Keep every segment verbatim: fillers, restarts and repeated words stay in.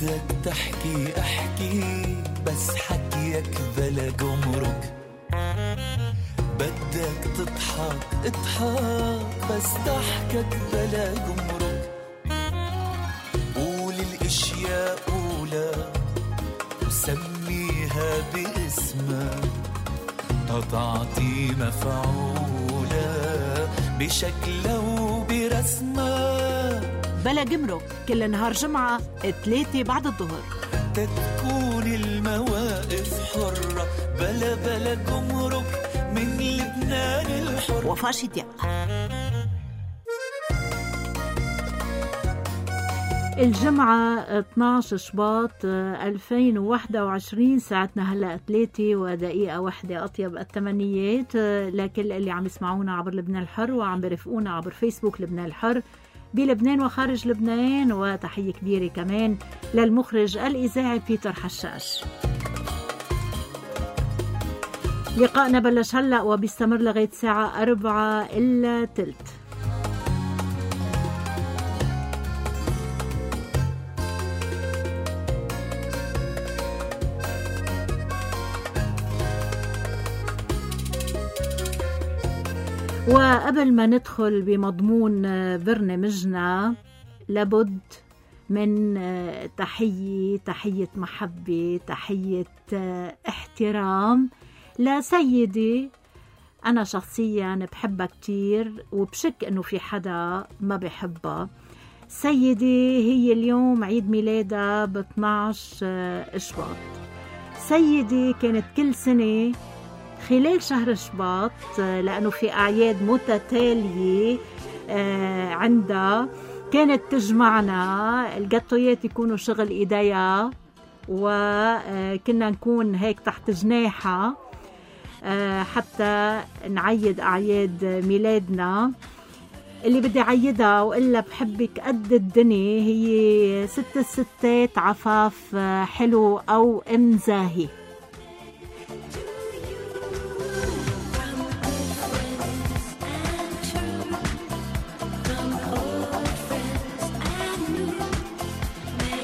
بدك تحكي احكي بس حكيك بلا جمرك، بدك تضحك اضحك بس ضحكك بلا جمرك، قول الاشياء قولها وسميها باسمها تتعطي مفعولة بشكلها وبرسمها. بلا جمرك كل نهار جمعة ثلاثة بعد الظهر تتكون المواقف حرة بلا بلا جمرك من لبنان الحر. وفاء شتياق. الجمعة اثناشر شباط ألفين وواحد وعشرين، ساعتنا هلأ ثلاثة ودقيقة واحدة. أطيب التمنيات لكل اللي عم يسمعونا عبر لبنان الحر وعم برفقونا عبر فيسبوك لبنان الحر بلبنان وخارج لبنان، وتحية كبيرة كمان للمخرج الإذاعي بيتر حشاش. لقاءنا بلش هلأ وبيستمر لغاية ساعة أربعة إلا تلت. وقبل ما ندخل بمضمون برنامجنا لابد من تحية تحية محبة، تحية احترام لسيدي أنا شخصيا بحبها كتير وبشك أنه في حدا ما بحبها. سيدي هي اليوم عيد ميلادها ب اثناشر شباط. سيدي كانت كل سنة خلال شهر شباط لأنه في أعياد متتالية عندها كانت تجمعنا، الجاتويات يكونوا شغل إيديها وكنا نكون هيك تحت جناحها حتى نعيد أعياد ميلادنا. اللي بدي عيدها وإلا بحبك قد الدنيا هي ست الستات عفاف حلو أو أم زاهي.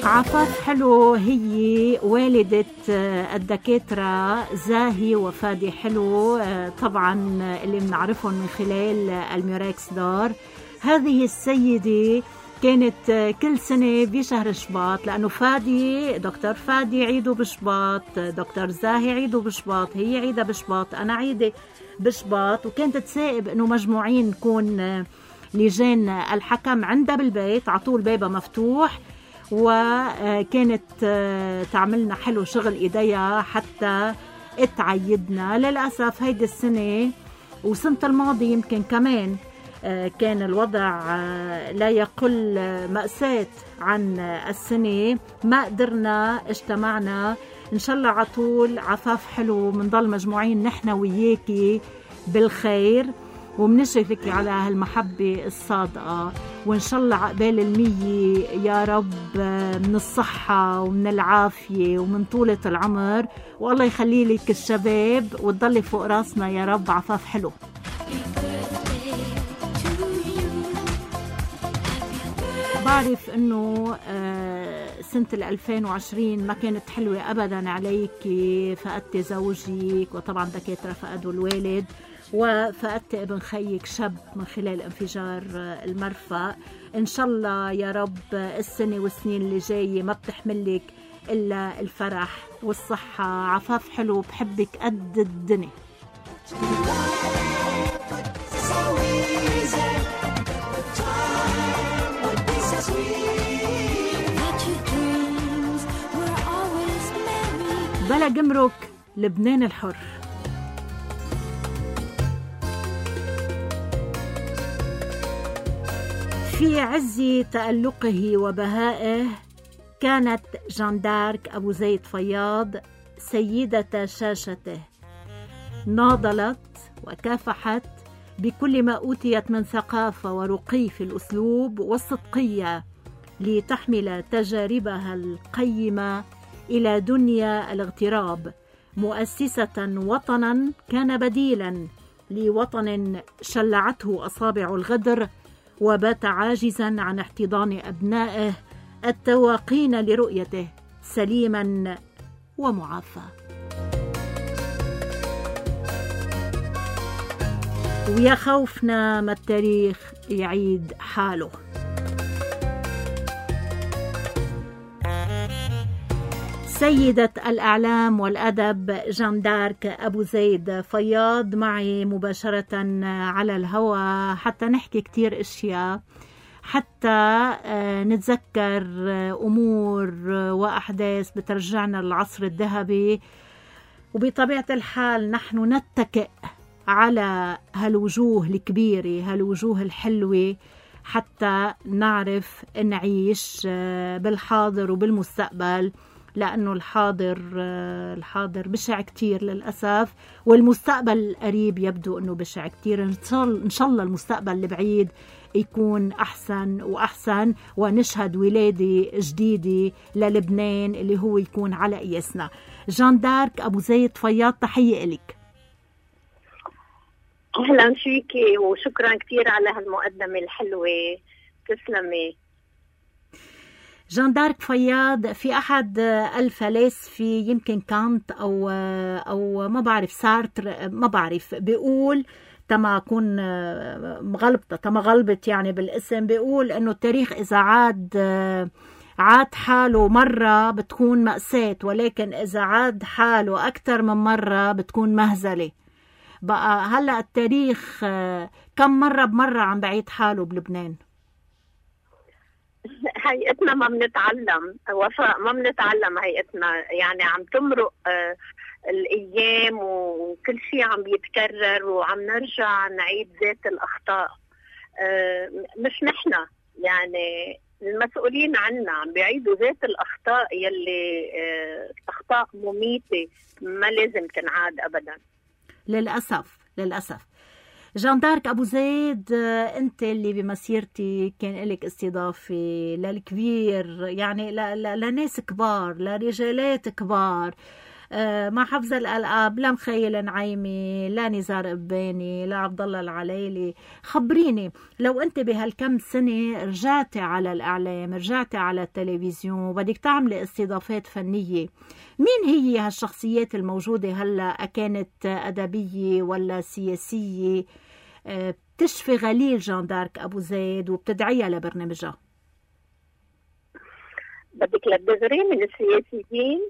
عفاف حلو هي والدة الدكاترة زاهي وفادي حلو، طبعا اللي بنعرفهم من خلال الميراكس دار. هذه السيدة كانت كل سنة بشهر شباط لأنه فادي دكتور فادي عيده بشباط، دكتور زاهي عيده بشباط، هي عيدة بشباط، أنا عيدة بشباط. وكانت تسائب أنه مجموعين نكون لجان الحكم عندها بالبيت عطول بابا مفتوح، وكانت تعملنا حلو شغل إيديها حتى اتعيدنا. للأسف هيدي السنة وسنة الماضي يمكن كمان كان الوضع لا يقل مأساة عن السنة، ما قدرنا اجتمعنا. إن شاء الله عطول عفاف حلو منضل مجموعين نحن وياكي بالخير ومنشكرك على هالمحبة الصادقة، وإن شاء الله عقبال المية يا رب من الصحة ومن العافية ومن طولة العمر، والله يخلي لك الشباب وتضلي فوق راسنا يا رب. عفاف حلو. بعرف انه سنة الألفين وعشرين ما كانت حلوة ابدا عليك، فقدت زوجك وطبعا دكاترة فقدوا الوالد، وفقدت ابن خيك شاب من خلال انفجار المرفأ. ان شاء الله يا رب السنة والسنين اللي جاية ما بتحملك الا الفرح والصحة. عفاف حلو بحبك قد الدنيا. بلا جمرك لبنان الحر. في عز تألقه وبهائه كانت جان دارك أبو زيد فياض سيدة شاشته، ناضلت وكافحت بكل ما أوتيت من ثقافة ورقي في الأسلوب والصدقية لتحمل تجاربها القيمة إلى دنيا الاغتراب، مؤسسة وطنا كان بديلا لوطن شلعته أصابع الغدر وبات عاجزا عن احتضان أبنائه التواقين لرؤيته سليما ومعافى. ويا خوفنا ما التاريخ يعيد حاله. سيدة الإعلام والأدب جان دارك أبو زيد فياض معي مباشرة على الهواء حتى نحكي كتير أشياء، حتى نتذكر أمور وأحداث بترجعنا للعصر الذهبي. وبطبيعة الحال نحن نتكئ على هالوجوه الكبيرة، هالوجوه الحلوة، حتى نعرف نعيش بالحاضر وبالمستقبل، لأنه الحاضر الحاضر بشع كتير للأسف، والمستقبل القريب يبدو أنه بشع كتير. إن شاء الله المستقبل البعيد يكون أحسن وأحسن، ونشهد ولادة جديدة للبنان اللي هو يكون على قياسنا. جان دارك أبو زيد فياض، تحية إليك. أهلا فيكي وشكرا كتير على هالمقدمة الحلوة، تسلمي. جان دارك فياض في أحد الفلاسفة يمكن كانت أو أو ما بعرف سارتر، ما بعرف، بيقول تما أكون مغلبطة تما غلبت يعني بالاسم، بيقول إنه التاريخ إذا عاد عاد حاله مرة بتكون مأساة، ولكن إذا عاد حاله أكثر من مرة بتكون مهزلة. بقى هلأ التاريخ كم مرة بمرة عم بعيد حاله بلبنان؟ هيئتنا ما بنتعلم وفاء، ما بنتعلم هيئتنا، يعني عم تمرق آه الأيام وكل شيء عم بيتكرر وعم نرجع نعيد ذات الأخطاء. آه مش نحنا، يعني المسؤولين عنا عم بيعيدوا ذات الأخطاء يلي آه أخطاء مميتة ما لازم تنعاد أبدا للأسف للأسف. جان دارك أبو زيد، أنت اللي بمسيرتي كان لك استضافة للكبير، يعني لناس كبار، لرجالات كبار، مع حفظ الألقاب، لا مخيل نعيمي، لا نزار قباني، لا عبد الله العليلي. خبريني، لو أنت بهالكم سنة رجعتي على الإعلام، رجعتي على التلفزيون وبدك تعملي استضافات فنية، مين هي هالشخصيات الموجودة هلأ؟ كانت أدبية ولا سياسية بتشفي غليل جان دارك أبو زيد وبتدعيها لبرنامجها؟ بدك للدغري من السياسيين؟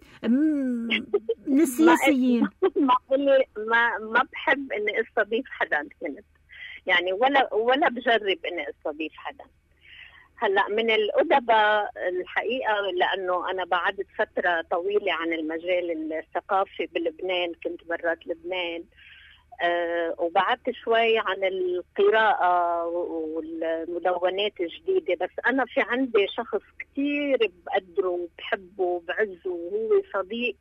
من السياسيين. ما ما ما بحب اني استضيف حدا كنت، يعني ولا ولا بجرب اني استضيف حدا. هلا من الأدباء الحقيقة، لأنه أنا بعدت فترة طويلة عن المجال الثقافي بلبنان، كنت برات لبنان، أه وبعدت شوي عن القراءة والمدونات الجديدة. بس أنا في عندي شخص كتير بقدره وبحبه وبعزه، وهو صديق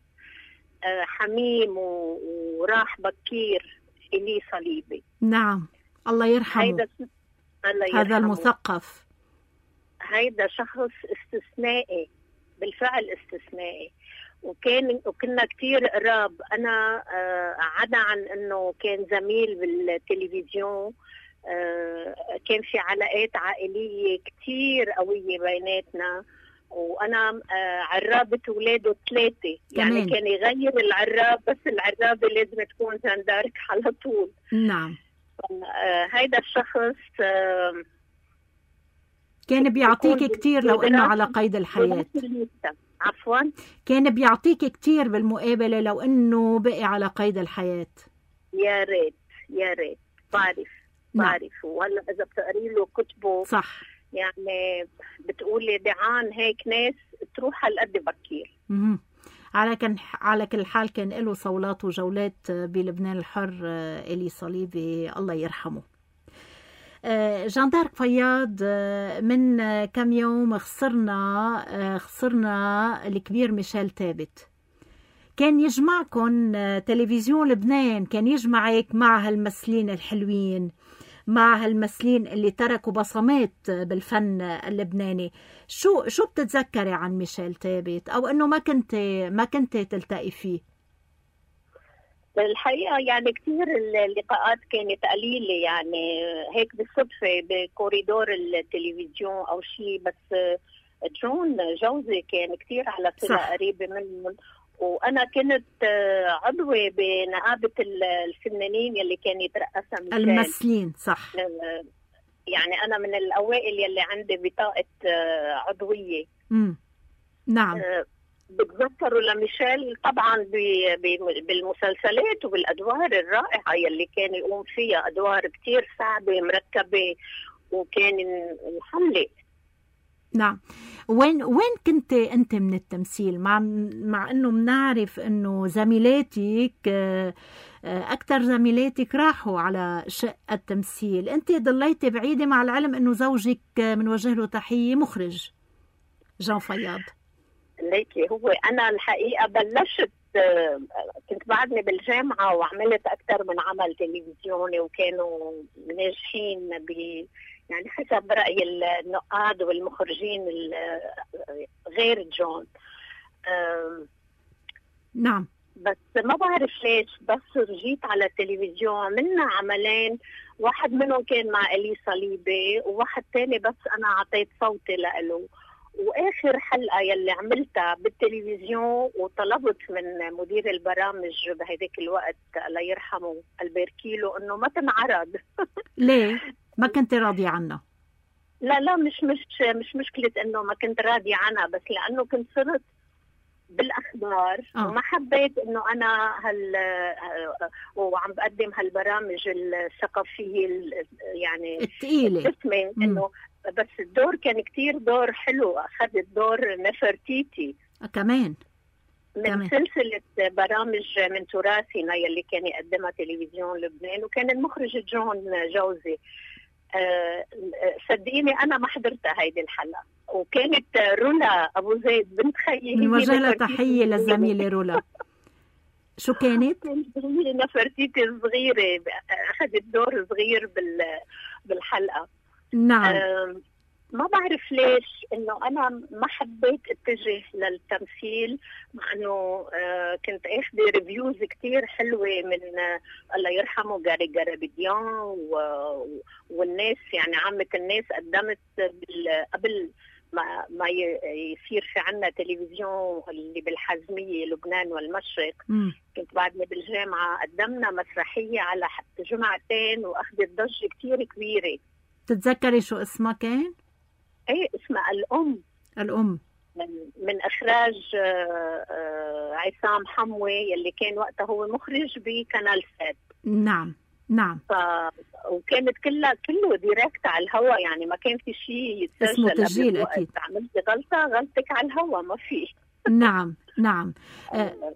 أه حميم وراح بكير، إلي صليبي. نعم، الله يرحمه. هيدا الله يرحمه. هذا المثقف، هيدا شخص استثنائي، بالفعل استثنائي، وكان وكنا كتير قراب. أنا آه عدا عن أنه كان زميل بالتلفزيون، آه كان في علاقات عائلية كتير قوية بيناتنا، وأنا آه عرابة ولاده ثلاثة، يعني كان يغير العراب، بس العرابة لازم تكون جان دارك على طول. نعم. آه هيدا الشخص آه كان بيعطيك كتير لو انه على قيد الحياة. عفوا، كان بيعطيك كتير بالمقابلة لو انه بقي على قيد الحياة. يا ريت يا ريت، بعرف بعرف. وهلا اذا بتقري له كتبه صح، يعني بتقولي دعان هيك ناس تروح هالقد بكير. اها على كان على كل حال كان له صولات وجولات بلبنان الحر إلي صليبي، الله يرحمه. جان دارك فياض، من كم يوم خسرنا خسرنا الكبير ميشيل ثابت. كان يجمعكم تلفزيون لبنان، كان يجمعك مع هالممثلين الحلوين، مع هالممثلين اللي تركوا بصمات بالفن اللبناني. شو شو بتتذكري عن ميشيل ثابت، او انه ما كنت ما كنت تلتقي فيه؟ الحقيقة يعني كتير اللقاءات كانت قليلة، يعني هيك بالصدفة بكوريدور التلفزيون أو شيء، بس جون جوزي كان كتير على صلة صح. قريبة منهم، وأنا كنت آه، عضوة بنقابة ال- الفنانين يلي كان يترأسها ميشيل. الممثلين صح. آه، يعني أنا من الأوائل يلي عندي بطاقة آه، عضوية. امم نعم. آه، بتذكروا لميشيل طبعا ب- ب- بالمسلسلات وبالأدوار الرائعة يلي كان يقوم فيها، أدوار كتير صعبة مركبة وكان يحلق. نعم. وين وين كنت انت من التمثيل؟ مع مع انه بنعرف انه زميلاتك آه، آه، اكثر زميلاتك راحوا على شق التمثيل، انت ضليتي بعيده، مع العلم انه زوجك آه، بنوجه له تحيه مخرج جان فياض. ليكي هو أنا الحقيقة بلشت آه، كنت بعدني بالجامعة وعملت أكثر من عمل تلفزيوني وكانوا ناجحين ب يعني حسب رأي النقاد والمخرجين ال- غير جون. آم، نعم. بس ما بعرف ليش بس رجيت على التلفزيون عملنا عملين، واحد منهم كان مع إلي صليبي وواحد تاني بس أنا عطيت صوتي لإله. واخر حلقه يلي عملتها بالتلفزيون وطلبت من مدير البرامج بهداك الوقت الله يرحمه البركيلو انه ما تنعرض. ليه ما كنت راضيه عنها؟ لا لا مش مش مش مشكله انه ما كنت راضيه عنها، بس لانه كنت صرت بالاخبار آه. وما حبيت انه انا هال وعم بقدم هالبرامج الثقافيه ال- يعني الثقيله. الدسمه انه بس الدور كان كتير دور حلو. اخذت دور نفرتيتي آه، كمان من تمام. سلسله برامج من تراثنا يلي كان يقدمها تلفزيون لبنان، وكان المخرج جون جوزي. آه، صدقيني انا ما حضرتها هيدي الحلقه، وكانت رولا ابو زيد بنت خيي بنوجه لها تحيه للزميله رولا. شو كانت؟ هي نفرتيتي صغيره اخذت دور صغير بال بالحلقه. نعم. آم، ما بعرف ليش انه انا ما حبيت اتجه للتمثيل، مع انه آه، كنت اخذ ريفيوز كتير حلوه من آه، الله يرحمه جاري جارابيديان و- والناس، يعني عامه الناس. قدمت بال- قبل ما ما ي- يصير في عنا تلفزيون اللي بالحزميه لبنان والمشرق، مم. كنت بعدني بالجامعه قدمنا مسرحيه على حتى جمعتين واخذت ضجه كتير كبيره. تتذكري شو اسمها كان؟ ايه اسمها الام، الأم. من من اخراج آه، آه، عصام حموي يلي كان وقتها هو مخرج بقناه سات. نعم نعم. ف وكانت كلها كله ديركت على الهواء، يعني ما كان في شيء يتسجل اسمه قبل تسجيل الوقت. أكيد. عملت غلطه غلطك على الهواء ما في. نعم نعم. آه،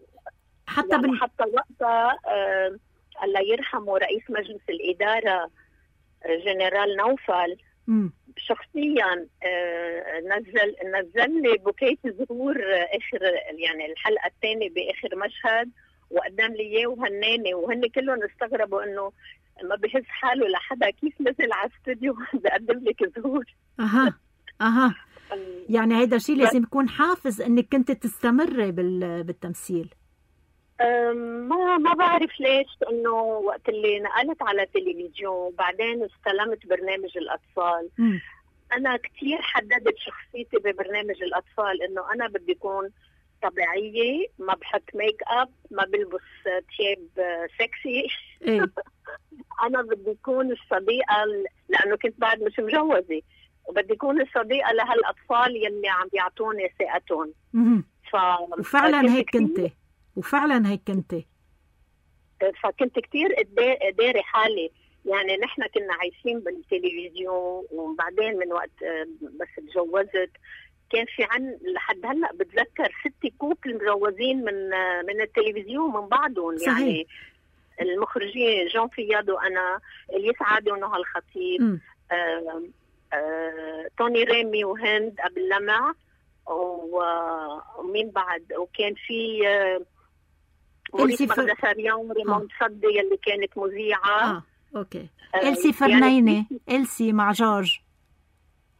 حتى يعني بن... حتى وقتها آه، الله يرحمه رئيس مجلس الاداره آه، جنرال نوفل مم. شخصيا آه، نزل نزل لي بوكيه زهور آه، اخر يعني الحلقه الثانيه باخر مشهد، وقدم لي اياه وهناني، وهن كلهم استغربوا انه ما بحس حاله لحدا كيف نزل على الاستوديو بقدم لك زهور. اها اها. يعني هيدا شيء لازم يكون حافز انك كنت تستمري بال... بالتمثيل. أم، ما ما بعرف ليش، انه وقت اللي نقلت على تلفزيون وبعدين استلمت برنامج الاطفال، مم. انا كثير حددت شخصيتي ببرنامج الاطفال انه انا بدي اكون طبيعيه، ما بحط ميك اب، ما بلبس ثياب سكسي. ايه. انا بدي اكون الصديقه ال- لانه كنت بعد مش مجوزه، وبدي اكون الصديقه لهالاطفال يلي عم بيعطوني ثقتهم. مم. ف... وفعلا هيك كتير- كنت وفعلا هيك كنت. فكنت كتير داري حالي. يعني نحن كنا عايشين بالتلفزيون، وبعدين من وقت آه، بس تجوزت كان في عن لحد هلا بتذكر ست كوبل مجوزين من آه، من التلفزيون من بعضهم. صحيح. يعني المخرجين جون فياض وانا، الياس عادي ونهى الخطيب، مم. آه آه توني ريمي وهند قبل لمع، و- ومين بعد، وكان في آه موريس إلسي فر- مغدساريان وريمون صدي يلي كانت مذيعة. اه اوكي. آه، إلسي فرنينة. إلسي مع جورج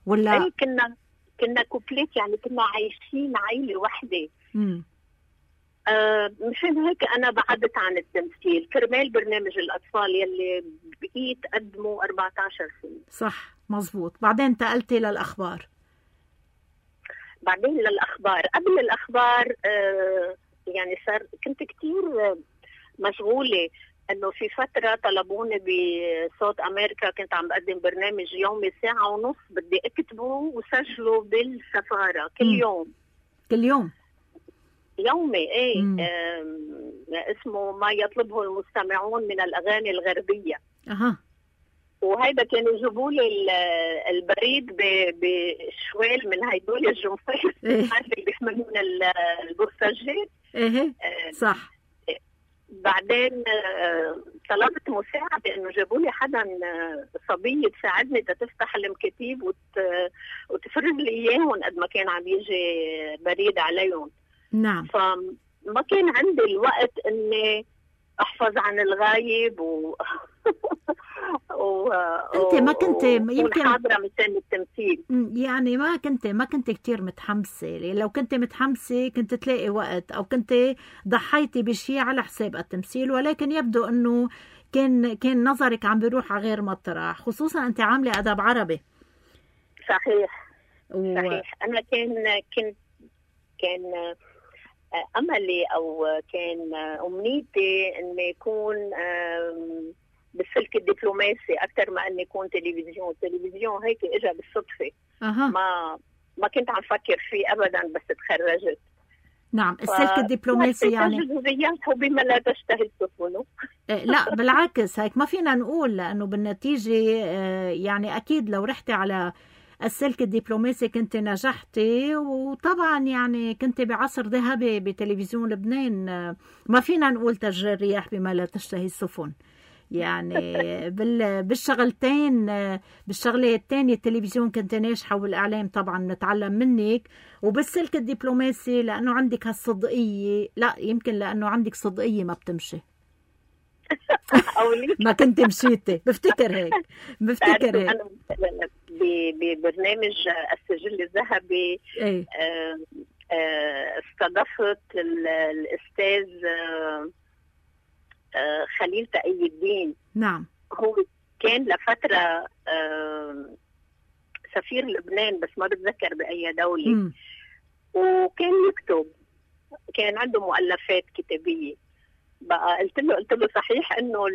ولا؟ أي كنا كنا كوبليت، يعني كنا عايشين عائلة وحدة. مم. آه مشان هيك أنا بعدت عن التمثيل كرمال برنامج الأطفال يلي بقيت قدمه أربعة عشر سنة. صح مزبوط. بعدين انتقلتي للأخبار. بعدين للاخبار. قبل الاخبار آه يعني صار كنت كتير مشغوله، انه في فتره طلبوني بصوت امريكا، كنت عم بقدم برنامج يومي ساعه ونص بدي اكتبه وسجله بالسفاره كل يوم. كل يوم يومي ايه اسمه ما يطلبه المستمعون من الاغاني الغربيه. اها وهيدا كانوا يجيبوا لي البريد بشوال من هيدول الجنفير اللي بيحملون البوساجات. ايه صح. بعدين طلبت مساعدة، انه جابوا لي حدا صبية تساعدني تفتح المكاتيب وت... وتفرج لي اياهم قد ما كان عم يجي بريد عليهم. نعم. فما كان عندي الوقت اني احفظ عن الغايب و و انت ما كنت يمكن حاضره مشان التمثيل، يعني ما كنت ما كنت كتير متحمسه. لو كنت متحمسه كنت تلاقي وقت، او كنت ضحيتي بشيء على حساب التمثيل، ولكن يبدو انه كان كان نظرك عم بيروح على غير مطرح، خصوصا انت عامله ادب عربي. صحيح و... صحيح. انا كان كنت كان املي او كان امنيتي اني يكون بالسلك الدبلوماسي اكثر ما اني يكون تلفزيون. التلفزيون هيك اجى بالصدفه. أه. ما ما كنت عم فكر فيه ابدا بس تخرجت. نعم. السلك الدبلوماسي يعني الرياح بما لا تشتهي السفن. لا بالعكس، هيك ما فينا نقول، لانه بالنتيجه يعني اكيد لو رحتي على السلك الدبلوماسي كنت نجحتي، وطبعا يعني كنت بعصر ذهبي بتلفزيون لبنان. ما فينا نقول تجري الرياح بما لا تشتهي السفن، يعني بالشغلتين بالشغلة الثانية التلفزيون كنت ناجحة، والإعلام طبعا نتعلم منك، وبالسلك الدبلوماسي لأنه عندك هالصدقية. لا يمكن لأنه عندك صدقية ما بتمشي. ما كنت مشيتي، بفتكر هيك بفتكر هيك أنا ببرنامج السجل الذهبي. ايه؟ استضفت الأستاذ خليل تقي الدين. نعم. هو كان لفترة سفير لبنان، بس ما بتذكر بأي دولة. م. وكان يكتب، كان عنده مؤلفات كتابية. بقى قلت له قلت له صحيح انه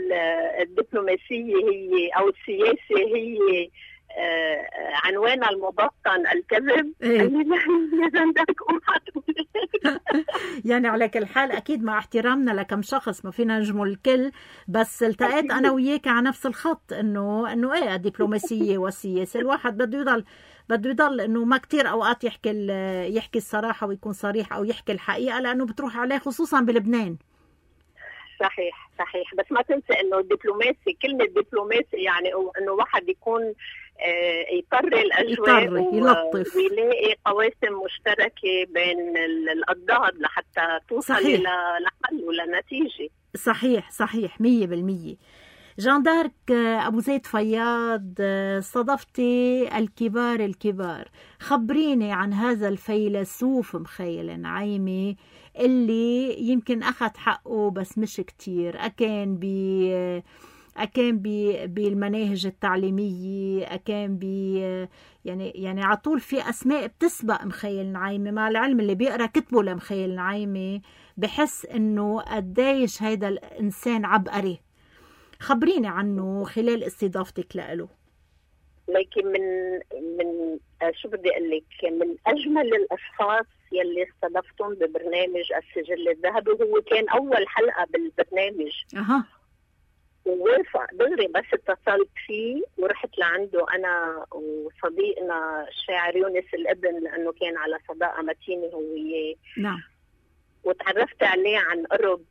الدبلوماسية هي او السياسة هي آه عنوانها المبطن الكذب. إيه؟ قال لي لا يا زندك قوم حتقول. يعني على كل حال اكيد مع احترامنا لكم شخص ما فينا نجمل الكل، بس التقيت انا وياك على نفس الخط، انه انه ايه الدبلوماسية والسياسة الواحد بده يضل بده يضل انه ما كتير اوقات يحكي يحكي الصراحة ويكون صريح او يحكي الحقيقة، لانه بتروح عليه خصوصا بلبنان. صحيح صحيح. بس ما تنسى انه الدبلوماسي، كلمة دبلوماسي يعني انه واحد يكون يطر الاجواء ويلطف ويلاقي قواسم مشتركة بين الأضداد لحتى توصل الى لحل ولا نتيجة. صحيح صحيح مية بالمية. جان دارك أبو زيد فياض، صدفتي الكبار الكبار، خبريني عن هذا الفيلسوف مخيل نعيمي اللي يمكن أخذ حقه بس مش كتير. أكان بي أكان بي بالمناهج التعليمية، أكان بي يعني يعني عطول في أسماء بتسبق مخيل نعيمي، مع العلم اللي بيقرأ كتبه لمخيل نعيمي بحس إنه قديش هيدا الإنسان عبقري. خبريني عنه خلال استضافتك له. لكن من من شو بدي اقول لك، من اجمل الاشخاص يلي استضفتهم ببرنامج السجل الذهبي. هو كان اول حلقه بالبرنامج. اها. ووافق دغري، بس اتصلت فيه ورحت لعنده انا وصديقنا الشاعر يونس الابن، لانه كان على صداقه متينه هو وياه. نعم. وتعرفت عليه عن قرب.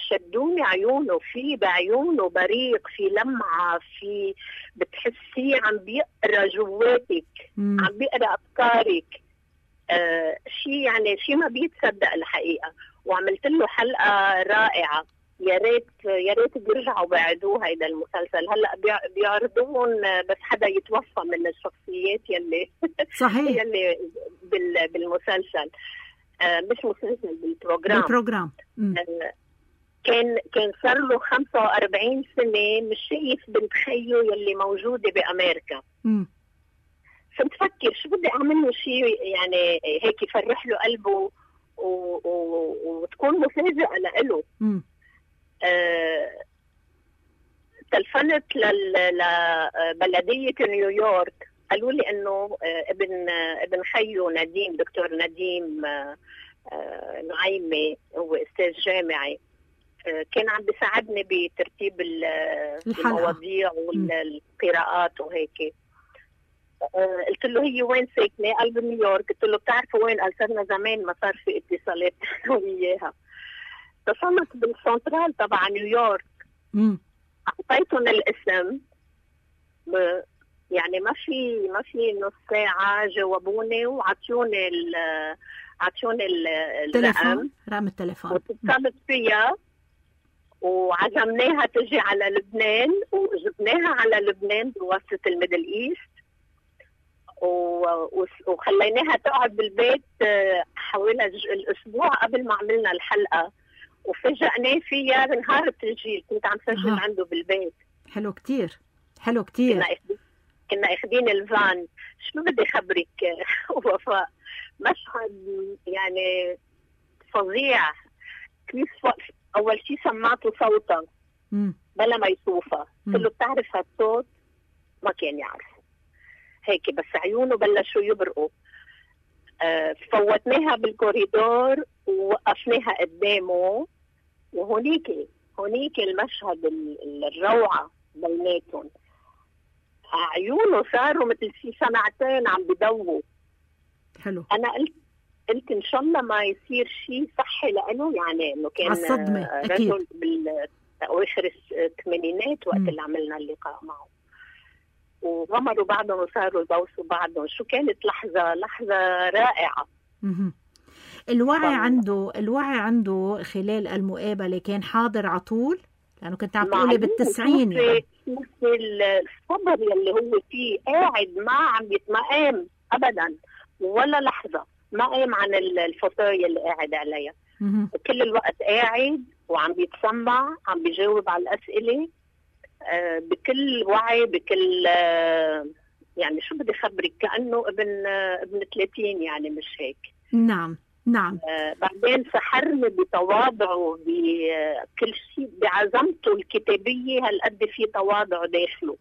شدوني عيونه، في بعيونه بريق، في لمعة، في بتحسيه عم بيقرأ جواتك، مم. عم بيقرأ أفكارك. آه شيء يعني شيء ما بيتصدق الحقيقة. وعملت له حلقة رائعة. يا ريت يا ريت بيرجعوا بعدوه هيدا المسلسل. هلا بيعرضون بس حدا يتوفى من الشخصيات يلي صحيح يلي بالمسلسل. آه مش مسلسل، بالبروجرام بالبروجرام. آه كان كان صار له خمسة وأربعين سنة مش شايف بنت خيه يلي موجودة بأمريكا. م. فكنت فكر شو بدي اعمل له شيء يعني هيك يفرح له قلبه و... و... وتكون مفاجأة لإله. آه... تلفنت لل... لبلدية نيويورك، قالوا لي انه ابن ابن خيو نديم، دكتور نديم نعيمي، هو استاذ جامعي، كان عم بيساعدني بترتيب المواضيع والقراءات وهيك. قلت له هي وين ساكنه؟ قال بنيويورك. قلت له بتعرفوا وين؟ قال صرنا زمان ما صار في اتصالات وياها. اتصلت بالسنترال تبع نيويورك، اعطيتهم الاسم، يعني ما في ما في نص ساعه جاوبوني وعطيوني ال عطيوني الرقم، رقم التليفون، واتصلت فيها وعزمناها تجي على لبنان، وجبناها على لبنان بواسطة الميدل إيست، وخليناها تقعد بالبيت حوالي الأسبوع قبل ما عملنا الحلقة، وفجأناه فيها بنهار التسجيل. كنت عم سجل آه. عنده بالبيت. حلو كتير، حلو كتير. كنا اخدين كنا اخدين الفان. شو بدي خبرك وفاء، مشهد يعني فظيع. كيف اول شيء سمعته صوتها بلا ما يشوفها، قلت له بتعرف هالصوت؟ ما كان يعرفه هيك، بس عيونه بلشوا يبرقوا. أه فوتناها بالكوريدور ووقفناها قدامه، وهونيك هونيك المشهد الروعه بيناتهم. عيونه صاروا مثل شي سنتين عم بضووا. حلو. انا قلت قلت ان شاء الله ما يصير شيء صحي لانه يعني انه كان الصدمه اكيد بالاواخر الثمانينات وقت اللي عملنا اللقاء معه، وغمروا بعضهم وصاروا يبوسوا بعضهم. شو كانت لحظه لحظه رائعه. م- الوعي ف... عنده الوعي عنده خلال المقابله كان حاضر على طول، لانه كنت عم تقولي بالتسعين يعني. الصبر يلي هو فيه، قاعد ما عم يتمقام ابدا ولا لحظه، ما قام عن الفوتوية اللي قاعد عليها. كل الوقت قاعد وعم بيتسمع، عم بيجاوب على الأسئلة آه بكل وعي، بكل آه يعني شو بدي خبرك، كأنه ابن آه ابن ثلاثين يعني، مش هيك. نعم نعم. آه بعدين سحرني بتواضعه، بكل شيء، بعزمته الكتابية. هالقد في تواضع داخله،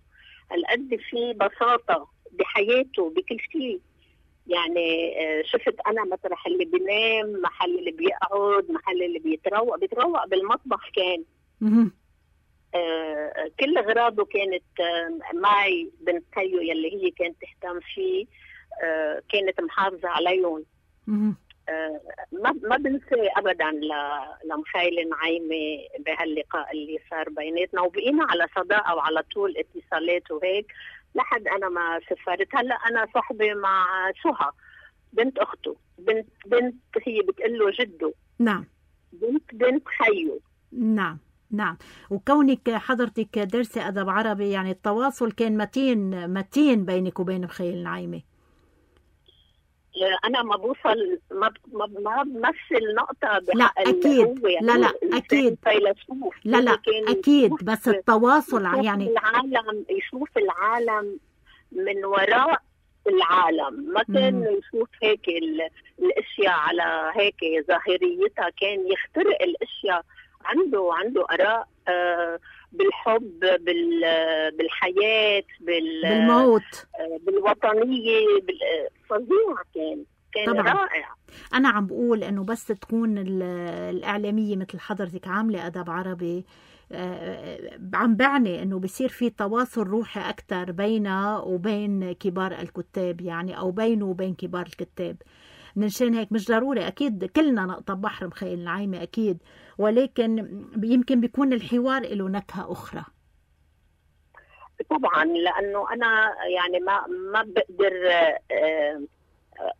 هالقد في بساطة بحياته بكل شيء. يعني شفت أنا مطرح اللي بينام، محل اللي بيقعد، محل اللي بيتروق بيتروق بالمطبخ كان. آه كل أغراضه كانت آه معي. بنت خيو يلي هي كانت تهتم فيه آه كانت محافظة عليهم. آه ما ما بنسى أبدا لمخيل نعيمة بهاللقاء اللي صار بيناتنا، وبقينا على صداقة وعلى طول اتصالات وهيك لحد أنا ما سافرت. هلا أنا صحبة مع سهى بنت أخته، بنت بنت هي بتقول له جده. نعم. بنت بنت خيو. نعم نعم. وكونك حضرتك درسي أدب عربي، يعني التواصل كان متين متين بينك وبين مخيل نعيمة. أنا ما بوصل ما ما ما بمثل نقطة لا أكيد يعني لا لا أكيد فيلسوف. لا لا أكيد، بس التواصل يعني العالم يشوف العالم من وراء العالم، ما كان يشوف هيك الأشياء على هيك ظاهريتها، كان يخترق الأشياء. عنده عنده آراء آه بالحب، بالحياة، بالموت، بالوطنية، فظيع. كان كان طبعاً رائع. أنا عم بقول إنه بس تكون الإعلامية مثل حضرتك عاملة أدب عربي، عم بعني إنه بيصير في تواصل روحي أكتر بينه وبين كبار الكتاب، يعني أو بينه وبين كبار الكتاب. منشان هيك مش ضروري أكيد كلنا نقطب بحر مخيل نعيمة أكيد، ولكن يمكن بيكون الحوار له نكهة أخرى. طبعا لأنه أنا يعني ما ما بقدر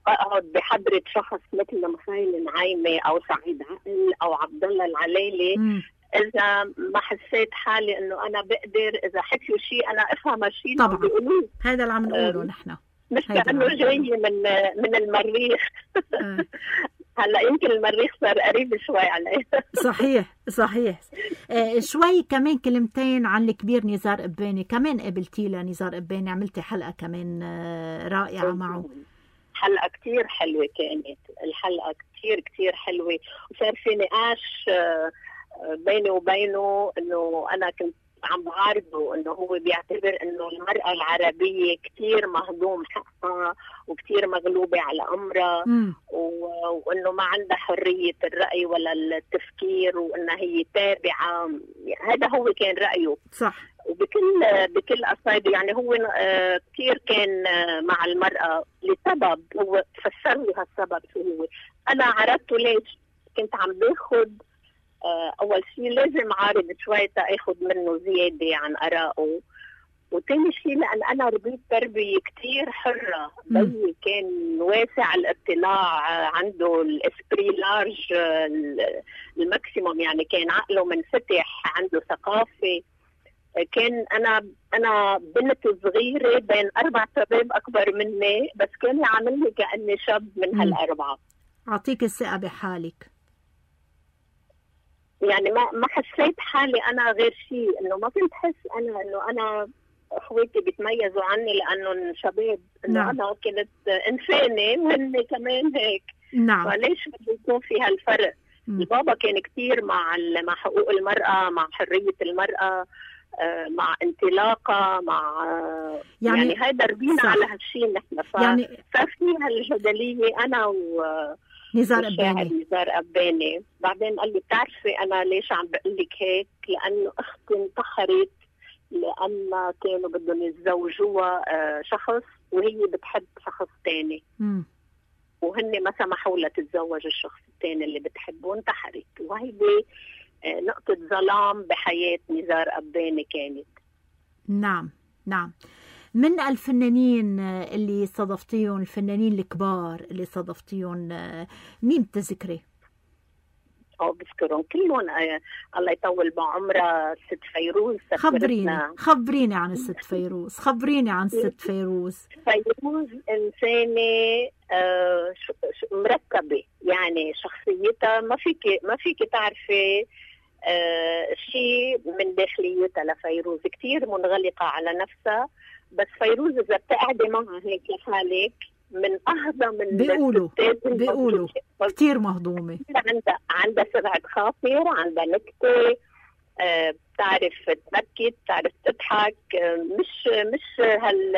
أقعد بحضرة شخص مثل مخيل نعيمة أو سعيد عقل أو عبد الله العليلي م. إذا ما حسيت حالي إنه أنا بقدر إذا حكيوا شيء أنا أفهم الشيء اللي بيقولوه. هذا اللي عم نقوله نحن، مش لأنه جاي من من المريخ. هلا يمكن المريخ صار قريب شوي علي. صحيح صحيح. آه شوي كمان كلمتين عن الكبير نزار قباني، كمان قابلتي لنزار قباني، عملتي حلقة كمان آه رائعة معه. حلقة كتير حلوة كانت، الحلقة كتير كتير حلوة، وصار في نقاش آه بيني وبينه انه انا كنت عم بعارضه انه هو بيعتبر انه المرأة العربية كتير مهضوم حقها وكتير مغلوبة على امرها، وانه ما عندها حرية الرأي ولا التفكير، وانها هي تابعة. هذا هو كان رأيه. صح. وبكل بكل قصايده يعني هو كثير كان مع المرأة لسبب، هو فسر لي هالسبب شو هو. انا عرضته ليش؟ كنت عم باخذ اول شيء لازم عارض شوي تاخذ منه زياده عن ارائه، وثاني شيء لان انا ربيت تربيه كثير حره. بيي كان واسع الاطلاع، عنده الاسبري لارج الماكسيموم، يعني كان عقله منفتح، عنده ثقافه. كان انا انا بنت صغيره بين اربع شباب اكبر مني، بس كان يعاملني كاني شاب من هالاربعه. اعطيك الثقه بحالك. يعني ما ما حسيت حالي انا غير شيء، انه ما كنت حس انا انه انا اخواتي بيتميزوا عني لانه شباب، انه نعم. انا كنت انسانه وهن كمان هيك. نعم. فليش بده يكون في هالفرق؟ م. البابا كان كثير مع مع حقوق المراه، مع حريه المراه، مع انطلاقه، مع يعني, يعني هيدا ربينا على هالشيء نحن. ف... يعني صار في هالجدليه انا و نزار قباني. نزار قباني بعدين قال لي بتعرفي انا ليش عم بقول لك هيك؟ لانه اختي انتحرت لان كانوا بدهم يتزوجوها شخص وهي بتحب شخص ثاني، وهن ما سمحوا لها تتزوج الشخص الثاني اللي بتحبه، انتحرت. وهيدي نقطة ظلام بحياة نزار قباني كانت. نعم نعم. من الفنانين اللي صادفتيهم، الفنانين الكبار اللي صادفتيهم، مين بتذكري؟ اه بذكرهم كلهم. آه الله يطول بعمرها ست فيروز. خبريني خبريني عن الست فيروز، خبريني عن الست فيروز. فيروز إنسانة آه مركبة، يعني شخصيتها ما فيك ما فيك تعرفي آه شيء من داخليتها. لفيروز كتير منغلقة على نفسها، بس فيروز إذا بتقعدي معها هيك لحالك من أهضى من بيقولوا بيقولوا كتير مهضومة. عندها عندها سرعة خاطر، عندها نكتة، آه بتعرف تبكي، بتعرف تضحك. آه مش مش هال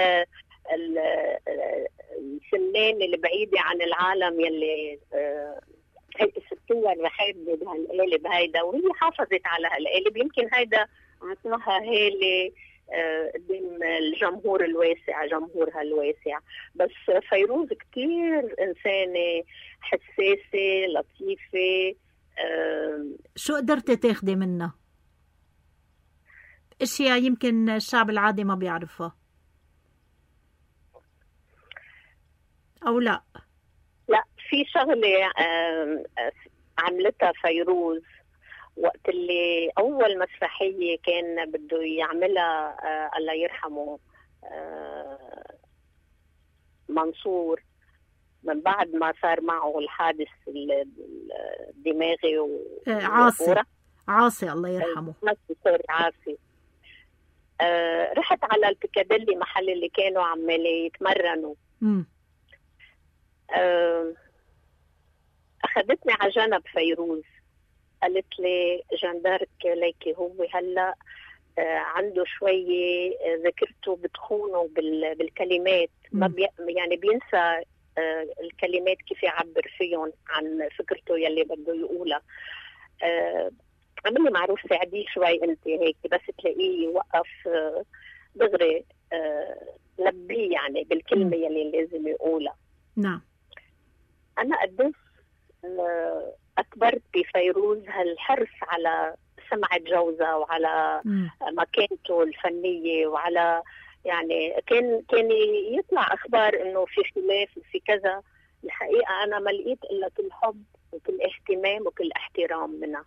الفنان اللي بعيدة عن العالم يلي آه هيك الستور رحابة بهالقالب هيدا، وهي حافظت على هالقالب. يمكن هيدا عطاها هالة قدام الجمهور الواسع، جمهورها الواسع. بس فيروز كتير إنسانة حساسة لطيفة. أه شو قدرتي تاخدي منها؟ اشياء يمكن الشعب العادي ما بيعرفها او لا؟ لا، في شغلة أه عملتها فيروز وقت اللي أول مسرحية كان بده يعملها آه الله يرحمه آه منصور، من بعد ما صار معه الحادث الدماغي و... آه عاصي عاصي الله يرحمه. سوري عاصي. آه رحت على البيكاديلي، محل اللي كانوا عمالي يتمرنوا. آه أخذتني على جنب فيروز، قالت لي جاندارك ليكي هو هلا آه عنده شويه ذاكرته بتخونه بالكلمات، ما بي يعني بينسى آه الكلمات كيف يعبر فيهم عن فكرته يلي بده يقولها. آه عملي معروف ساعديه شوي انت هيك، بس تلاقيه يوقف آه دغري آه لبيه يعني بالكلمه يلي لازم يقولها. نعم. انا قديش آه أكبرت بفيروز هالحرص على سمعة جوزها وعلى م. مكانته الفنية، وعلى يعني كان كان يطلع أخبار إنه في خلاف وفي كذا. الحقيقة أنا ما لقيت إلا كل حب وكل اهتمام وكل احترام منها.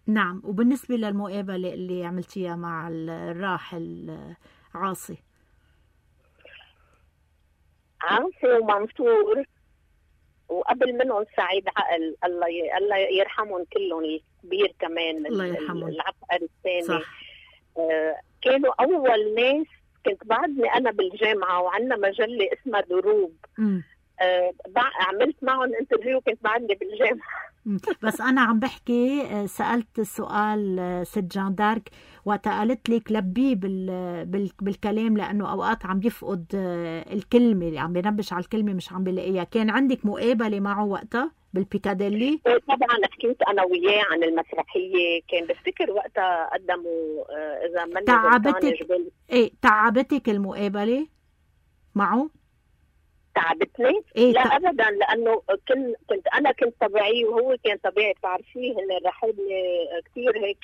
نعم. وبالنسبة للمقابلة اللي عملتيها مع الراحل عاصي عاصي ومنصور، وقبل منهم سعيد عقل، الله ي... الله يرحمهم كلهم، الكبير كمان الله يرحمهم. العبقري الثاني. صح. آه كانوا أول ناس. كنت بعدني أنا بالجامعة وعندنا مجلة اسمها دروب. م. آه عملت معهم انترفيو كنت بعدني بالجامعة. بس أنا عم بحكي، سألت سؤال ست جان دارك وقتها قالت لك لبيه بال... بال... بالكلام، لأنه أوقات عم يفقد الكلمة، عم بينبش على الكلمة مش عم بلاقيها. كان عندك مقابلة معه وقتها بالبيكاديلي؟ طبعا حكيت أنا وياه عن المسرحية. كان بفتكر وقتها قدموا إذا من تعبتك إيه تعبتك المقابلة معه؟ تعبتني؟ إيه لا ت... ابدا، لانه كنت كنت انا كنت طبيعي وهو كان طبيعي. بتعرفيه هن الرحابنه كثير هيك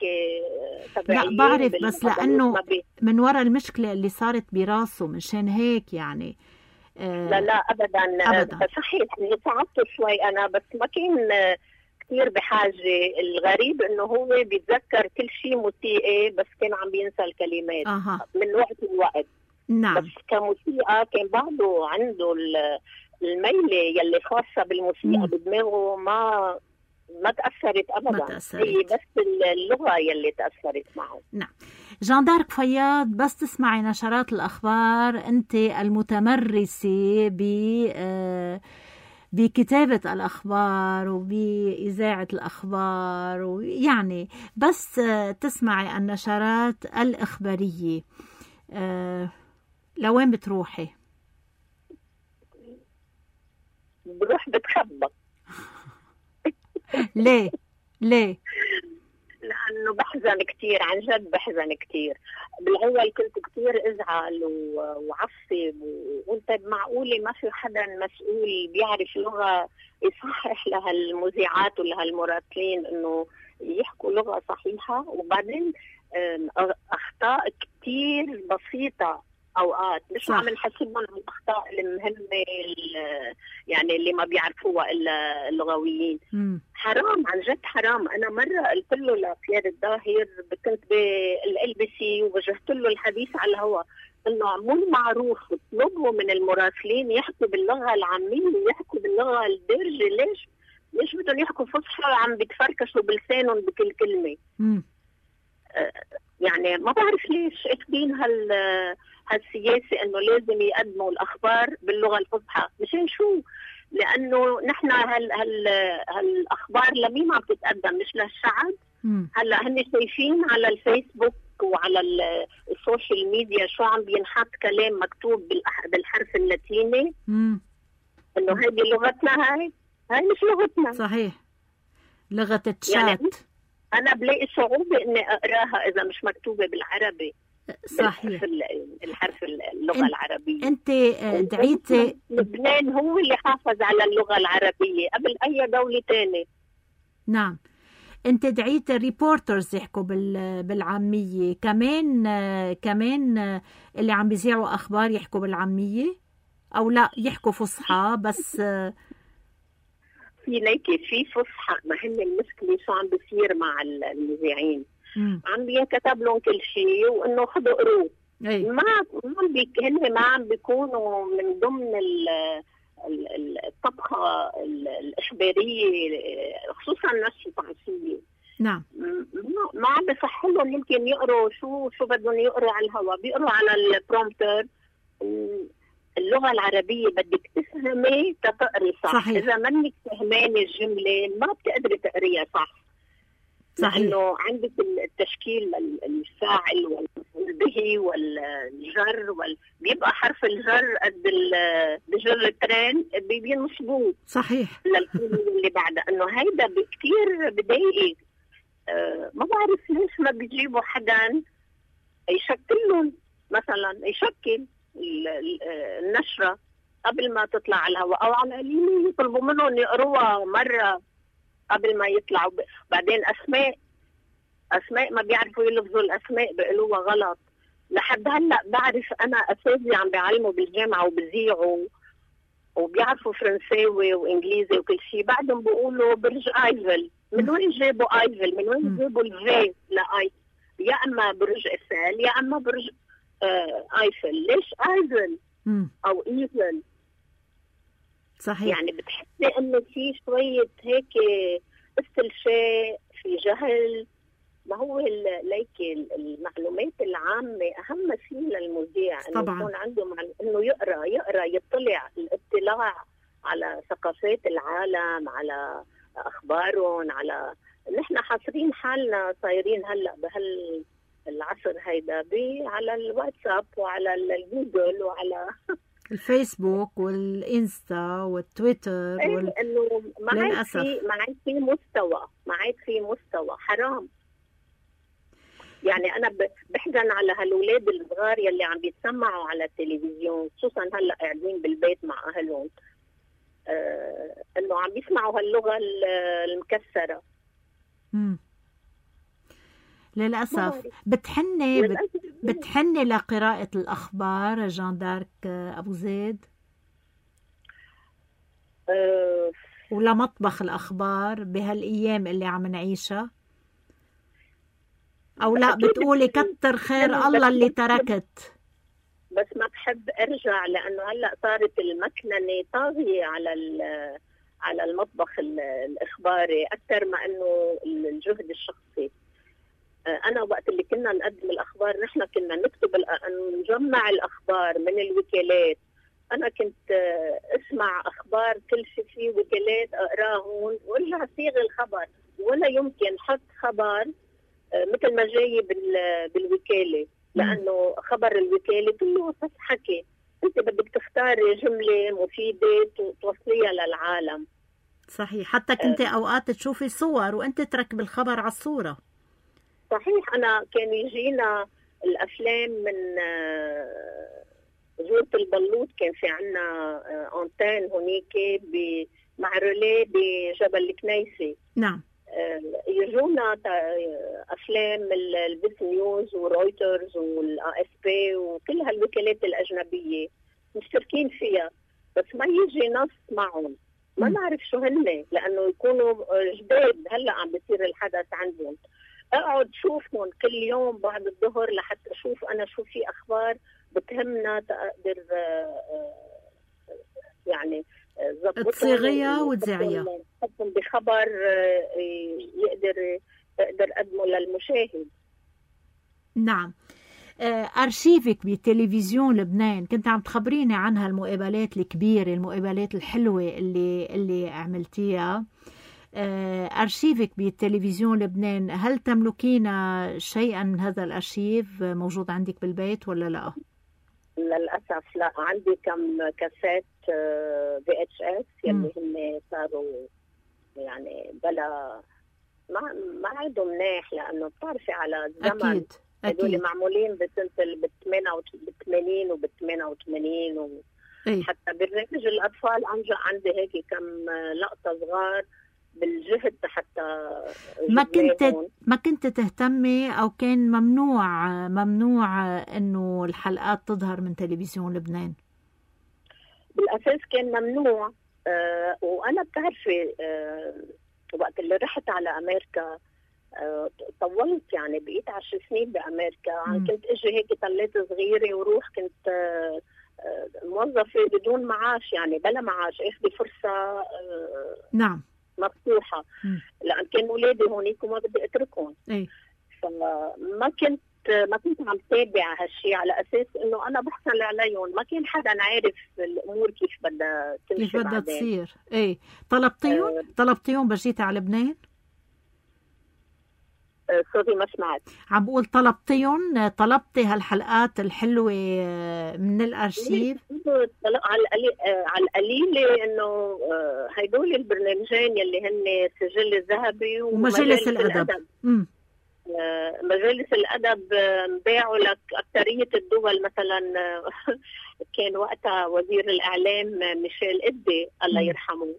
طبيعيين. لا بعرف، بس لانه من وراء المشكله اللي صارت براسه مشان هيك يعني. آه لا لا ابدا, أبداً. صحيح اني صعبت شوي انا، بس ما كان كثير بحاجه. الغريب انه هو بيتذكر كل شيء موسيقي بس كان عم بينسى الكلمات أه. من وقت لوقت. نعم. بس كموسيقى كان بعده عنده الميلة يلي خاصة بالموسيقى بدماغه، ما ما تأثرت أبدا. ما تأثرت. هي بس اللغة يلي تأثرت معه. نعم. جان دارك فياض، بس تسمعي نشرات الأخبار أنت المتمرسة ب بكتابة الأخبار وبإذاعة الأخبار، ويعني بس تسمعي النشرات الإخبارية أه لوين بتروحي؟ بروح بتخبى. ليه؟ ليه؟ لأنه بحزن كتير، عن جد بحزن كتير. بالأول كنت كتير أزعل وعصب وقلت معقولة ما في حدا مسؤول بيعرف لغة يصحح لها المذيعات ولها المراسلين إنه يحكوا لغة صحيحة. وبعدين أخطاء كتير بسيطة أوقات مش عم نحسبهم على الأخطاء المهمة يعني اللي ما بيعرفوها إلا اللغويين. م. حرام، عن جد حرام. أنا مرة قلت له لخيار الظاهر، كنت بالال بي سي ووجهت له الحديث على الهواء، إنه مو معروف اطلبوا من المراسلين يحكوا باللغة العامية ويحكوا باللغة الدارجة. ليش؟ ليش بدهم يحكوا فصحى وعم بيتفركشوا بلسانهم بكل كلمة؟ م. آه يعني ما بعرف ليش اخذين هال هالسياسة انه لازم يقدموا الاخبار باللغة الفصحى. مشان شو؟ لانه نحن هال هال هالاخبار لمين عم تتقدم؟ مش للشعب. هلا هن شايفين على الفيسبوك وعلى السوشيال ميديا شو عم بينحط كلام مكتوب بالحرف اللاتيني، انه هذه لغتنا، هاي هاي مش لغتنا. صحيح، لغة التشات. يعني أنا بلاقي صعوبة إني أقراها إذا مش مكتوبة بالعربي. صحيح، الحرف اللغة انت العربية. أنت دعيتي لبنان هو اللي حافظ على اللغة العربية قبل أي دولة تانية. نعم. أنت دعيت ريبورترز يحكوا بالعامية كمان، كمان اللي عم بيذيعوا أخبار يحكوا بالعامية أو لا يحكوا فصحى بس؟ في ليكي في فصحى. ما هن المشكلة شو عم بيصير مع المذيعين؟ عم بينكتب لهم كل شيء وإنه خذوا قروه. ما ما بيك هن ما عم بيكونوا من ضمن الطبخة الإخبارية، خصوصا النشرة الصحفية. نعم. ما عم بيصح لهم يمكن يقروا شو شو بدهم يقروا على الهواء، بيقروا على البرومبتر. اللغة العربية بدك تفهمي تقري صح. صحيح. إذا منك فهمانة الجملة ما بتقدري تقريها صح. صحيح. لأنه عندك التشكيل الفاعل والبه والجر وال... بيبقى حرف الجر قد بجر الترين بينصبوه. صحيح. للكلمة اللي بعدها، إنه هيدا كتير بضايق. أه ما بعرف ليش ما بيجيبوا حدا يشكلهم، مثلا يشكل النشرة قبل ما تطلع على الهواء، أو على القليل يطلبوا منهم يقروها مرة قبل ما يطلعوا. بعدين أسماء أسماء ما بيعرفوا يلفظوا الأسماء بيقولوها غلط. لحد هلأ بعرف أنا أساتذة عم بيعلموا بالجامعة وبيذيعوا وبيعرفوا فرنساوي وإنجليزي وكل شيء، بعدهم بيقولوا برج آيفل. من وين جابوا آيفل؟ من وين جابوا الفي لآي؟ يا أما برج إيفل يا أما برج آه آيفل. ليش آيفل أو إيفل؟ صحيح. يعني بتحسي انه في شويه هيك استلشاء، في جهل. ما هو ليك المعلومات العامه اهم شيء للمذيع، انه يكون عنده معلومات، انه يقرا يقرا يطلع، الاطلاع على ثقافات العالم، على اخبارهم، على نحن حاصرين حالنا صايرين هلا بهال العصر هيدا على الواتساب وعلى الجوجل وعلى الفيسبوك والإنستا والتويتر وال... انه ما عاد في ما عاد في مستوى ما عاد في مستوى حرام. يعني انا بحزن على هالولاد الصغار يلي عم بيتسمعوا على التلفزيون، خصوصا هلا قاعدين بالبيت مع اهلهم، آه انه عم بيسمعوا هاللغه المكسره. امم للاسف. بتحني بت... بتحني لقراءه الاخبار جان دارك ابو زيد؟ أه... ولا مطبخ الاخبار بهالايام اللي عم نعيشها؟ او لا بتقولي كتر خير الله اللي تركت؟ بس ما بحب ارجع، لانه هلا صارت المكننه طاغيه على على المطبخ الاخباري اكثر ما انه الجهد الشخصي. انا وقت اللي كنا نقدم الاخبار نحن كنا نكتب نجمع الاخبار من الوكالات. انا كنت اسمع اخبار كل شيء في وكالات اقراهم وارجع صيغ الخبر، ولا يمكن حط خبر مثل ما جاي بالوكاله، لانه خبر الوكاله كله بس حكي، انت بدك تختاري جمله مفيده توصليها للعالم. صحيح. حتى كنت اوقات تشوفي صور وانت تركب الخبر على الصوره. صحيح. انا كان يجينا الافلام من جورة البلوط، كان في عنا انتين هونيك مع روليه بجبل الكنيسه. نعم. يجونا افلام البيس نيوز ورويترز والاي اس بي وكل هالوكالات الاجنبيه مشتركين فيها، بس ما يجي نص معهم، ما نعرف شو هن، لانه يكونوا جداد هلا عم بيصير الحدث عندهم. اقعد شوفهم كل يوم بعد الظهر لحتى اشوف انا شو في اخبار بتهمنا، تقدر يعني تصيغيها وتذيعيها، تحطهم بخبر يقدر يقدر قدمه للمشاهد. نعم. أرشيفك بتلفزيون لبنان كنت عم تخبريني عنها، المقابلات الكبيرة، المقابلات الحلوة اللي اللي عملتيها. أرشيفك بالتلفزيون لبنان، هل تملكين شيئا من هذا الأرشيف موجود عندك بالبيت ولا لا؟ للأسف لا، عندي كم كاسات في اتش اس يلي هم صاروا يعني بلا ما ما عندهم مناح، لأنه بتعرفي على الزمن أكيد هدول معمولين بسنة بالثمانين وبالثمانية وثمانين و... حتى برنامج الأطفال عندي هيك كم لقطة صغار بالجهد حتى ما كنت ما كنت تهتمي او كان ممنوع ممنوع انه الحلقات تظهر من تلفزيون لبنان؟ بالاساس كان ممنوع. آه وانا بتعرفي آه وقت اللي رحت على امريكا آه طولت، يعني بقيت عشر سنين بامريكا. م. كنت اجي هيك طليت صغيره وروح، كنت آه موظفه بدون معاش، يعني بلا معاش، اخذي فرصه آه نعم مفتوحة، لأن كانوا أولادي هونيك وما بدي أتركهم. أي. فما كنت ما كنت عم تابع هالشيء على أساس إنه أنا بحصل عليهم، ما كان حدا عارف الأمور كيف بدها تمشي، كيف بدها تصير. إيه. طلبتيهم؟ أه طلبتيهم بجيتي على لبنان؟ سوري ما سمعت. عم بقول طلبتيهم؟ طلبتي هالحلقات الحلوة من الأرشيف؟ على على القليلة إنه هيدول البرنامجين يلي هن سجل الذهبي ومجالس الأدب. الأدب. مجالس الأدب باعوا لك أكثرية الدول. مثلا كان وقتها وزير الإعلام ميشيل إدي الله يرحمه،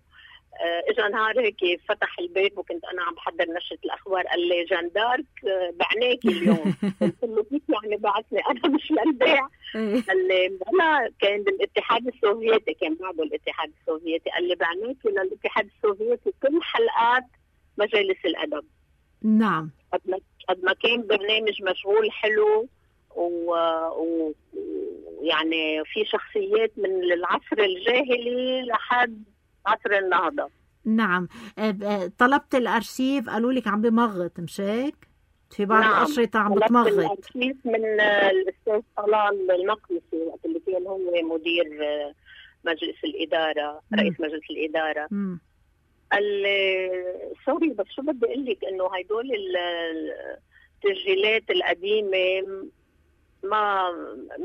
اجى نهار هيك فتح البيت وكنت انا عم بحضر نشره الاخبار، قال لي جان دارك بعناكي اليوم. قلت له كيف يعني بعتني انا مش للبيع؟ قال لي لا، كان بالاتحاد السوفيتي، كان بعده الاتحاد السوفيتي. قال لي بعناكي للاتحاد السوفيتي كل حلقات مجالس الادب. نعم. قد ما قد ما كان برنامج مشغول حلو و... و... يعني في شخصيات من العصر الجاهلي لحد عصر النهضة. نعم. طلبت الأرشيف قالوا لك عم بمغط، مش هيك؟ في بعض نعم. الأشرطة عم طلبت بتمغط. الأرشيف من الأستاذ طلال المقدسي وقت اللي كان هو مدير مجلس الإدارة، مم. رئيس مجلس الإدارة. مم. قال لي سوري بس شو بدي أقول لك إنه هيدول التسجيلات القديمة ما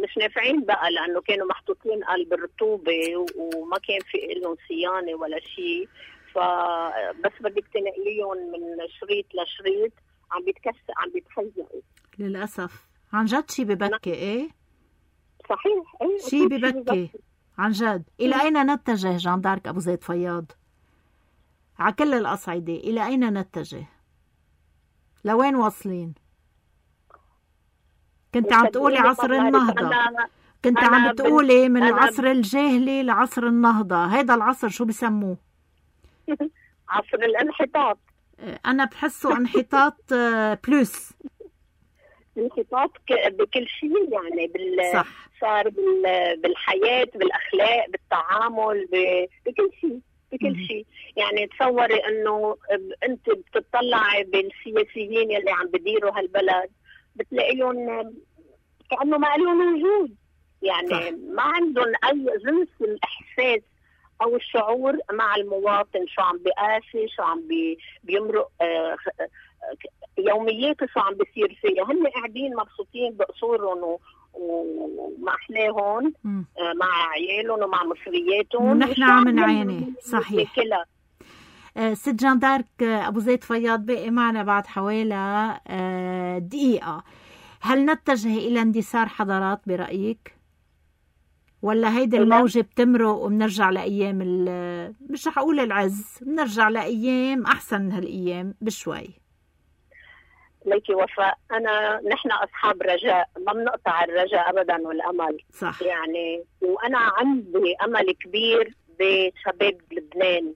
مش نافعين بقى، لأنه كانوا محطوطين قلب الرطوبة وما كان في لهم صيانة ولا شيء، فبس بدك تنقليهم من شريط لشريط عم بيتكسر عم بيتخزقوا. للأسف عن جد شي ببكي. ايه صحيح. ايه شي ببكي عن جد. إلى أين نتجه جان دارك أبو زيد فياض على كل الأصعدة؟ إلى أين نتجه؟ لوين واصلين؟ كنت عم تقولي عصر النهضة، كنت عم بتقولي من العصر الجاهلي لعصر النهضة. هيدا العصر شو بسموه؟ عصر الانحطاط. أنا بحسه انحطاط بلوس. انحطاط بكل شيء يعني بال صح. صار بالحياة، بالأخلاق، بالتعامل، بكل شيء بكل شيء. يعني تصوري انه انت بتطلعي بالسياسيين يلي عم بديروا هالبلد بتلاقيهم كأنه ما لهم وجود، يعني صح. ما عندهم اي جنس الاحساس او الشعور مع المواطن، شو عم بيقاسي، شو عم بي بيمرق آه يومياته، شو عم بيصير فيها. هن قاعدين مبسوطين بقصورهم ومع احلاهم آه مع عيالهم ومع مصرياتهم، ونحن عم نعاني. صحيح. آه ست جان دارك ابو زيد فياض بقي معنا بعد حوالي آه دقيقة. هل نتجه الى اندثار حضارات برأيك؟ ولا هيدي الموجة بتمرق وبنرجع لأيام مش رح أقول العز، بنرجع لأيام أحسن من هالأيام بشوي؟ ليكي وفاء، أنا نحن أصحاب رجاء، ما بنقطع الرجاء أبدا والأمل. صح. يعني وأنا عندي أمل كبير بشباب لبنان،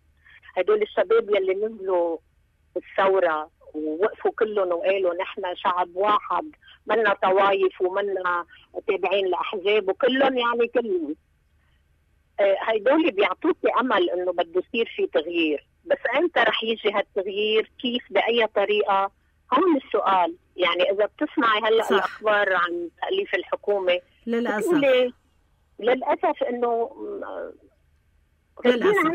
هدول الشباب يلي نزلوا الثورة ووقفوا كلهم وقالوا نحن شعب واحد، منا طوايف ومنا تابعين لأحزاب وكلهم يعني كلهم. آه هيدول بيعطوكي أمل إنه بده يصير في تغيير، بس أنت رح يجي هالتغيير كيف بأي طريقة؟ هون السؤال. يعني إذا بتسمعي هلأ الأخبار عن تأليف الحكومة للأسف للأسف إنه للأسف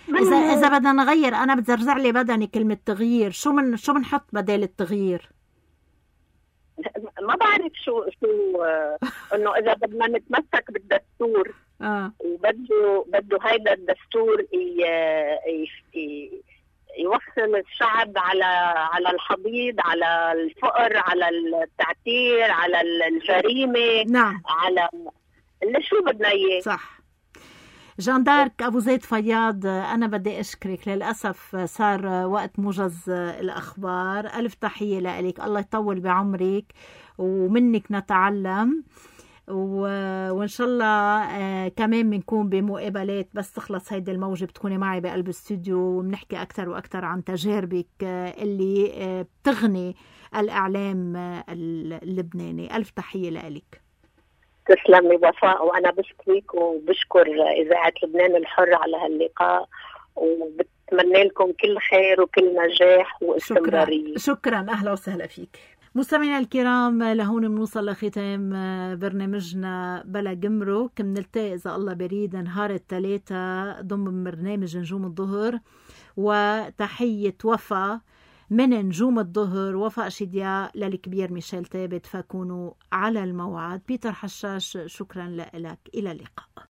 إذا إذا بدنا نغير، أنا بتزرزع لي بدني كلمة تغيير. شو من شو بنحط بدل التغيير؟ ما بعرف شو شو إنه إذا بدنا نتمسك بالدستور آه. وبده بده هيدا الدستور ي... ي... يوصل الشعب على على الحضيض، على الفقر، على التعتير، على الجريمة. نعم. على اللي شو بدنا إياه. صح. جان دارك أبو زيد فياض، أنا بدي أشكرك. للأسف صار وقت موجز الأخبار. ألف تحية لك، الله يطول بعمرك ومنك نتعلم، وإن شاء الله كمان بنكون بمقابلات بس تخلص هيدي الموجة بتكوني معي بقلب الاستوديو وبنحكي أكتر وأكتر عن تجاربك اللي بتغني الإعلام اللبناني. ألف تحية لك. تسلمي وفاء، وأنا بشكرك وبشكر إذاعة لبنان الحر على هاللقاء، وبتمنى لكم كل خير وكل نجاح واستمرارية. شكرا, شكرا. أهلا وسهلا فيك. مستمعينا الكرام، لهون بنوصل لختام برنامجنا بلا جمرك. بنلتقي إذا الله بريد نهار الثلاثاء ضمن برنامج نجوم الظهر. وتحية وفاء من نجوم الظهر، وفاء شدياء، للكبير ميشيل ثابت. فكونوا على الموعد. بيتر حشاش، شكرا لك. إلى اللقاء.